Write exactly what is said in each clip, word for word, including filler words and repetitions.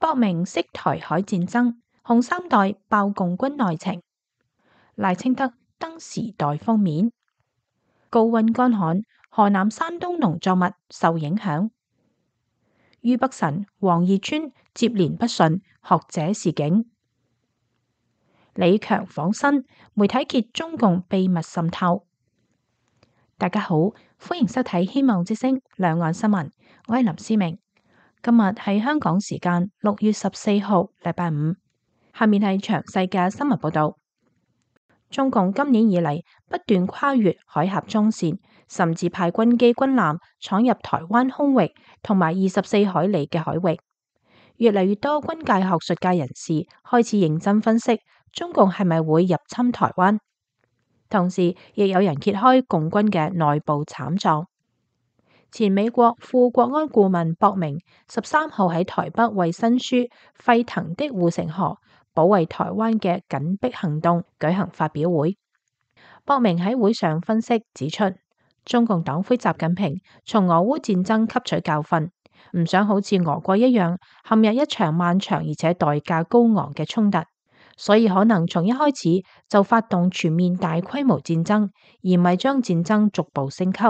博明識台海戰爭，紅三代爆共軍內情。賴清德登時代封面。高溫乾旱，河南山東農作物受影響。俞北辰、王義川接連不順，學者示警。李強訪新，媒體揭中共秘密滲透。大家好，歡迎收睇《希望之聲》兩岸新聞，我係林思明。今日係香港時間六月十四號，禮拜五。下面係詳細嘅新聞報道。中共今年以嚟不斷跨越海峽中線，甚至派軍機軍艦闖入台灣空域同埋二十四海里嘅海域。越嚟越多軍界學術界人士開始認真分析中共係咪會入侵台灣，同時亦有人揭開共軍嘅內部慘狀。前美國副國安顧問博明十三號喺台北為新書《沸騰的護城河：保衛台灣嘅緊迫行動》舉行發表會。博明喺會上分析指出，中共黨魁習近平從俄烏戰爭吸取教訓，唔想好似俄國一樣陷入一場漫長而且代價高昂嘅衝突，所以可能從一開始就發動全面大規模戰爭，而唔係將戰爭逐步升級。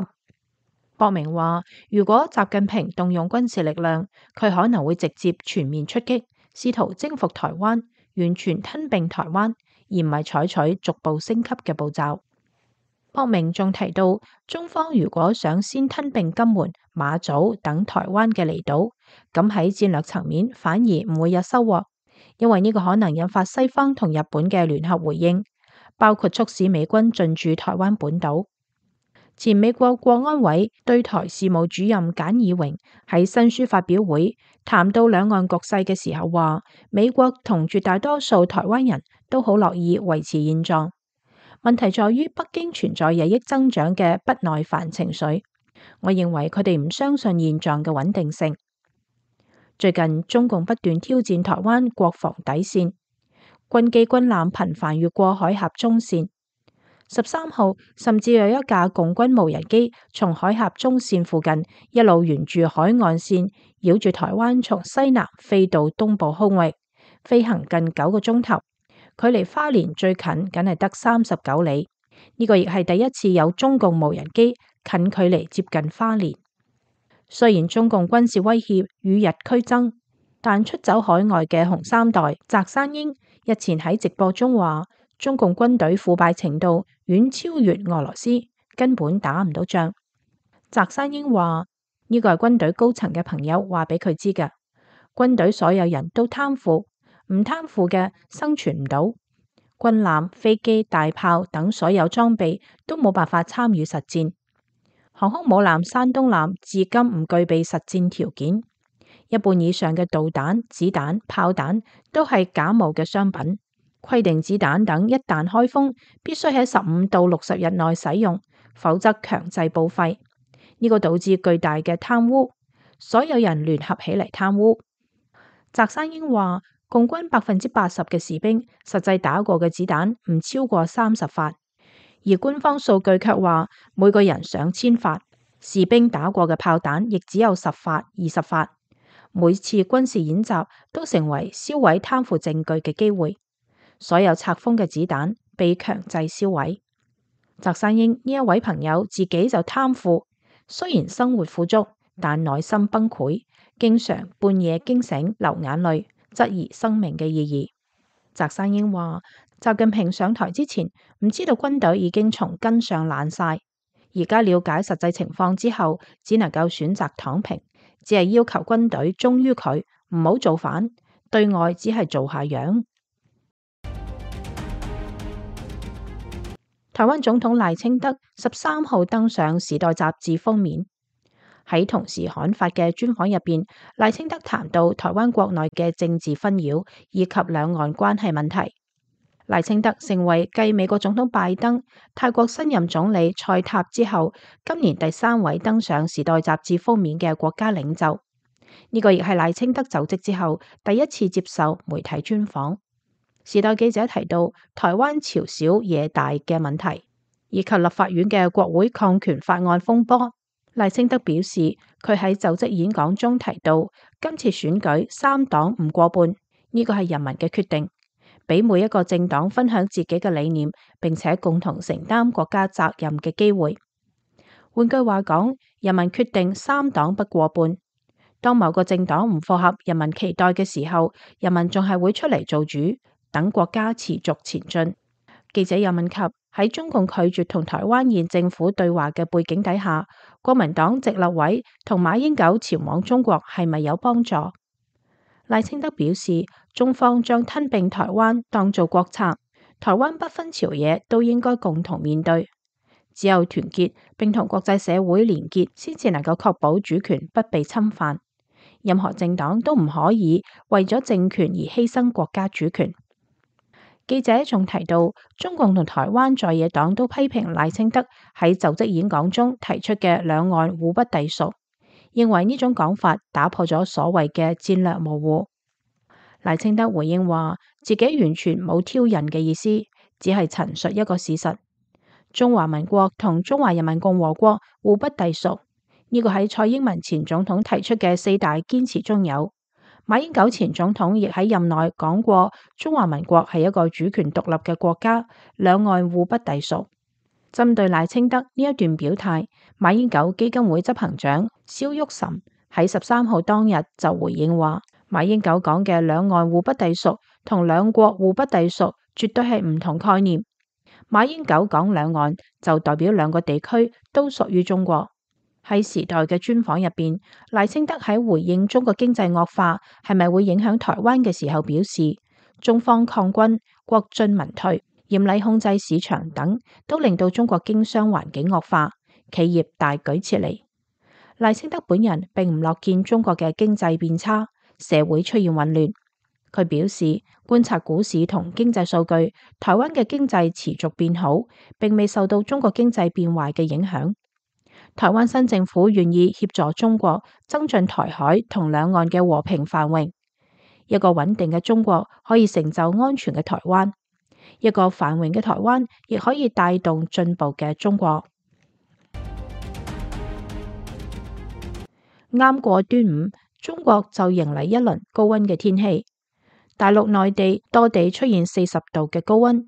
博明話，如果習近平動用軍事力量，佢可能會直接全面出擊，試圖征服台灣，完全吞併台灣，而唔係採取逐步升級嘅步驟。博明仲提到，中方如果想先吞併金門、馬祖等台灣嘅離島，咁喺戰略層面反而唔會有收穫，因為呢個可能引發西方同日本嘅聯合回應，包括促使美軍進駐台灣本島。前美國國安委對台事務主任簡義榮喺新書發表會談到兩岸局勢嘅時候話，美國同絕大多數台灣人都好樂意維持現狀，問題在於北京存在日益增長嘅不耐煩情緒。我認為佢哋唔相信現狀嘅穩定性。最近中共不斷挑戰台灣國防底線，軍機軍艦頻繁越過海峽中線。十三號甚至有一架共軍無人機從海峽中線附近一路沿住海岸線繞住台灣從西南飛到東部空域，飛行近九個鐘頭，距離花蓮最近僅係得三十九里。呢、這個亦係第一次有中共無人機近距離接近花蓮。雖然中共軍事威脅與日俱增，但出走海外嘅紅三代翟山英日前喺直播中話，中共軍隊腐敗程度遠超越俄羅斯，根本打唔到仗。翟山英話呢個係軍隊高層嘅朋友話俾佢知嘅，軍隊所有人都貪腐，唔貪腐嘅生存唔到。軍艦、飛機、大炮等所有裝備都冇辦法參與實戰。航空母艦山東艦至今唔具備實戰條件，一半以上嘅導彈、子彈、炮彈都係假冒嘅商品。規定子彈等一旦開封，必須喺十五到六十日內使用，否則強制報廢。呢、這個導致巨大嘅貪污，所有人聯合起嚟貪污。翟山英話，共軍百分之八十嘅士兵實際打過嘅子彈唔超過三十發，而官方數據卻話每個人上千發，士兵打過嘅炮彈亦只有十發、二十發。每次軍事演習都成為銷毀貪腐證據嘅機會。所有拆封嘅子彈被強制銷毀。翟山英呢一位朋友自己就貪腐，雖然生活富足，但內心崩潰，經常半夜驚醒流眼淚，質疑生命嘅意義。翟山英話，習近平上台之前唔知道軍隊已經從根上爛晒，而家了解實際情況之後，只能夠選擇躺平，只係要求軍隊忠於佢，唔好造反，對外只係做下樣。台灣總統賴清德十三號登上《時代》雜誌封面，喺同時刊發嘅專訪入邊，賴清德談到台灣國內嘅政治紛擾以及兩岸關係問題。賴清德成為繼美國總統拜登、泰國新任總理蔡塔之後，今年第三位登上《時代》雜誌封面嘅國家領袖。呢、這個亦係賴清德就職之後第一次接受媒體專訪。時代記者提到台灣朝小野大嘅問題，以及立法院嘅國會抗權法案風波。賴清德表示，佢喺就職演講中提到，今次選舉三黨唔過半，呢個係人民嘅決定，俾每一個政黨分享自己嘅理念，並且共同承擔國家責任嘅機會。換句話講，人民決定三黨不過半。當某個政黨唔符合人民期待嘅時候，人民仲係會出嚟做主，等國家持續前進。記者又問及喺中共拒絕同台灣現政府對話嘅背景底下，國民黨籍立委同馬英九前往中國係咪有幫助？賴清德表示，中方將吞併台灣當做國策，台灣不分朝野都應該共同面對。只有團結並同國際社會連結，先至能夠確保主權不被侵犯。任何政黨都唔可以為咗政權而犧牲國家主權。記者仲提到，中共同台灣在野黨都批評賴清德喺就職演講中提出嘅兩岸互不隸屬，認為呢種講法打破咗所謂嘅戰略模糊。賴清德回應話，自己完全冇挑釁嘅意思，只係陳述一個事實。中華民國同中華人民共和國互不隸屬，呢個喺蔡英文前總統提出嘅四大堅持中有。馬英九前總統亦喺任內講過，中華民國係一個主權獨立嘅國家，兩岸互不隸屬。針對賴清德呢一段表態，馬英九基金會執行長蕭旭岑喺十三號當日就回應話，馬英九講嘅兩岸互不隸屬同兩國互不隸屬絕對係唔同概念。馬英九講兩岸就代表兩個地區都屬於中國。喺時代嘅專訪入邊，賴清德喺回應中國經濟惡化係咪會影響台灣嘅時候表示，中方抗軍、國進民退、嚴厲控制市場等，都令到中國經商環境惡化，企業大舉撤離。賴清德本人並唔樂見中國嘅經濟變差，社會出現混亂。佢表示，觀察股市同經濟數據，台灣嘅經濟持續變好，並未受到中國經濟變壞嘅影響。台灣新政府願意協助中國增進台海同兩岸嘅和平繁榮。一個穩定嘅中國可以成就安全嘅台灣，一個繁榮嘅台灣亦可以帶動進步嘅中國。啱過端午，中國就迎嚟一輪高溫嘅天氣。大陸內地多地出現四十度嘅高溫，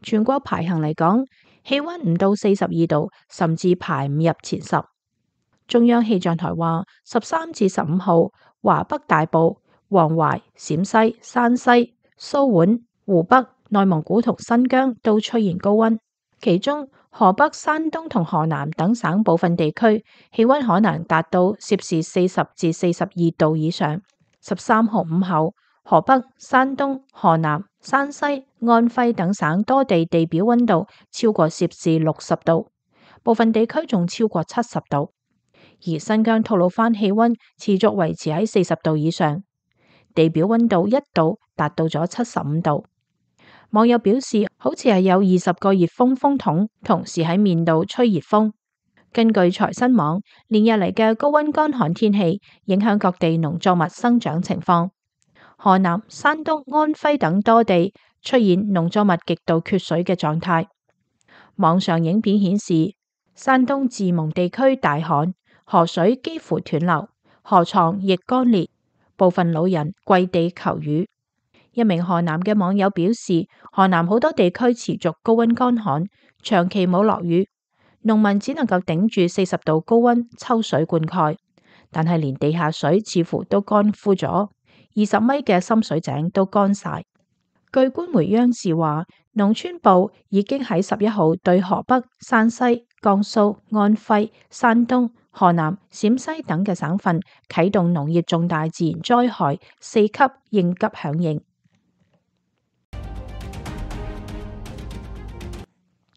全國排行嚟講，氣溫唔到四十二度，甚至排唔入前十。中央氣象台話，十三至十五號，華北大部、黃淮、陝西、山西、蘇皖、湖北、內蒙古同新疆都出現高溫，其中河北、山東同河南等省部分地區氣溫可能達到攝氏四十至四十二度以上。十三號午後，河北、山東、河南、山西、安徽等省多地地表溫度超過攝氏六十度，部分地區仲超過七十度。而新疆吐魯番氣溫持續維持喺四十度以上，地表溫度一度達到咗七十五度。網友表示，好似係有二十個熱風風筒同時喺面度吹熱風。根據財新網，連日嚟嘅高溫乾旱天氣影響各地農作物生長情況。河南、山東、安徽等多地出現農作物極度缺水嘅狀態。網上影片顯示，山東自蒙地區大旱，河水幾乎斷流，河床亦乾裂，部分老人跪地求雨。一名河南嘅網友表示，河南好多地區持續高溫乾旱，長期冇落雨，農民只能夠頂住四十度高溫抽水灌溉，但係連地下水似乎都乾枯咗，二十米嘅深水井都乾晒。據官媒央視話，農村部已經喺十一號對河北、山西、江蘇、安徽、山東、河南、陝西等嘅省份啟動農業重大自然災害四級應急響應。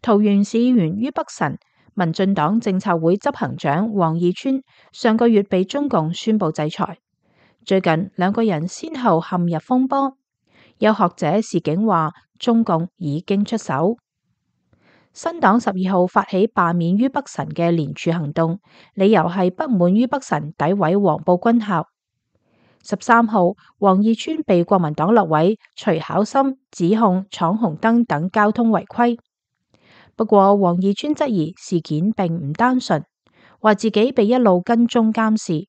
桃園市議員于北辰，民進黨政策會執行長王義川上個月被中共宣布制裁。最近兩個人先後陷入風波，有學者示警話中共已經出手。新黨十二號發起罷免于北辰嘅連署行動，理由係不滿于北辰詆毀黃埔軍校。十三號，王義川被國民黨立委徐巧芯指控闖紅燈等交通違規。不過，王義川質疑事件並唔單純，話自己被一路跟蹤監視，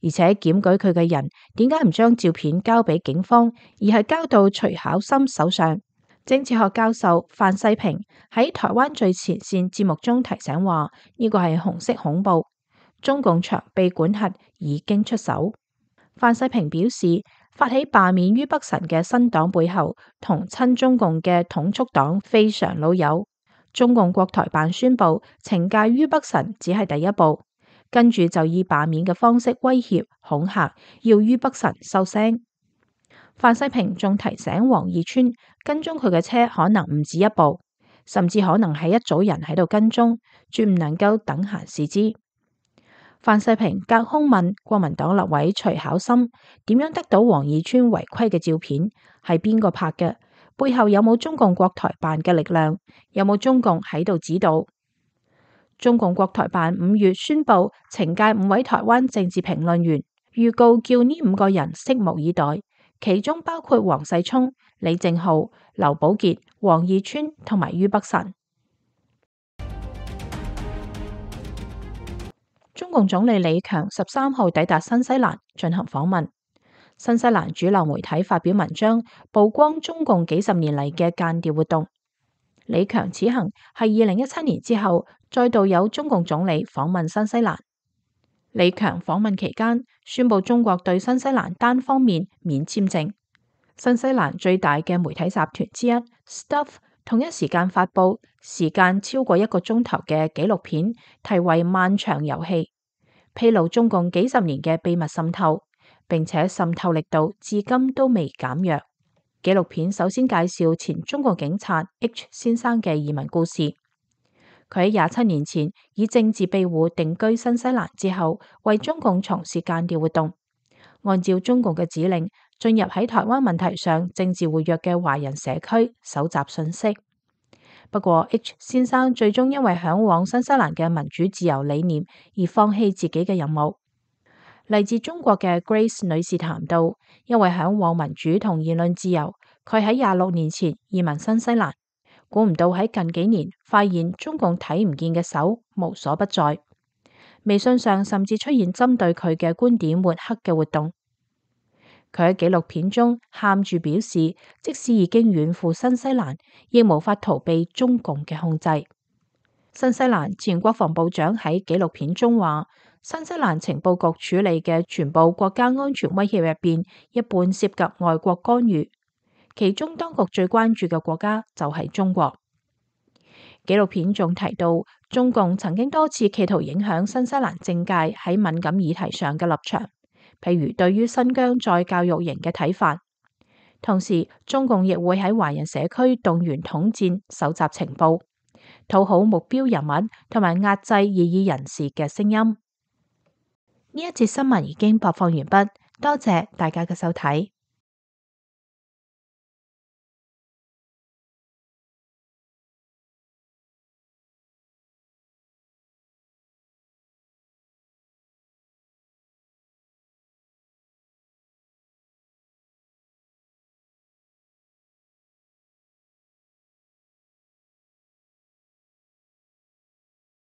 而且檢舉佢嘅人點解唔將照片交俾警方，而係交到徐巧芯手上？政治學教授范世平喺台灣最前線節目中提醒話：呢個係紅色恐怖，中共長臂管轄已經出手。范世平表示，發起罷免于北辰嘅新黨背後，同親中共嘅統促黨非常老友。中共國台辦宣布懲戒于北辰只係第一步，跟住就以罷免嘅方式威脅恐嚇，要于北辰收聲。范世平仲提醒王義川，跟蹤佢嘅車可能唔止一部，甚至可能係一組人喺度跟蹤，絕唔能夠等閒視之。范世平隔空問國民黨立委徐巧芯點樣得到王義川違規嘅照片，係邊個拍嘅？背後有冇中共國台辦嘅力量？有冇中共喺度指導？中共國台辦五月宣布懲戒五位台灣政治評論員，預告叫呢五個人拭目以待，其中包括黃世聰、李正浩、劉寶傑、王義川同埋于北辰。中共總理李強十三號抵達新西蘭進行訪問。新西蘭主流媒體發表文章，曝光中共幾十年嚟嘅間諜活動。李強此行係二零一七年之後再度有中共總理訪問新西蘭。李強訪問期間宣布中國對新西蘭單方面免簽證。新西蘭最大嘅媒體集團之一 Stuff 同一時間發佈時間超過一個鐘頭嘅紀錄片，題為《漫長遊戲》，披露中共幾十年嘅秘密滲透，並且滲透力度至今都未減弱。紀錄片首先介紹前中國警察 H 先生嘅移民故事。佢喺廿七年前以政治庇護定居新西蘭之後，為中共從事間諜活動，按照中共嘅指令進入喺台灣問題上政治活躍嘅華人社區搜集信息。不過 H 先生最終因為向往新西蘭嘅民主自由理念而放棄自己嘅任務。嚟自中國嘅 Grace 女士談到，因為向往民主同言論自由，佢喺廿六年前移民新西蘭，估唔到喺近幾年發現中共睇唔見嘅手無所不在。微信上甚至出現針對佢嘅觀點抹黑嘅活動。佢喺紀錄片中喊住表示，即使已經遠赴新西蘭，亦無法逃避中共嘅控制。新西蘭前國防部長喺紀錄片中話，新西蘭情報局處理嘅全部國家安全威脅入邊，一半涉及外國干預，其中當局最關注嘅國家就係中國。紀錄片仲提到，中共曾經多次企圖影響新西蘭政界喺敏感議題上嘅立場，譬如對於新疆再教育營嘅睇法。同時，中共亦會喺華人社區動員統戰、搜集情報，討好目標人物同埋壓制異議人士嘅聲音。呢一節新聞已經播放完畢，多謝大家嘅收睇。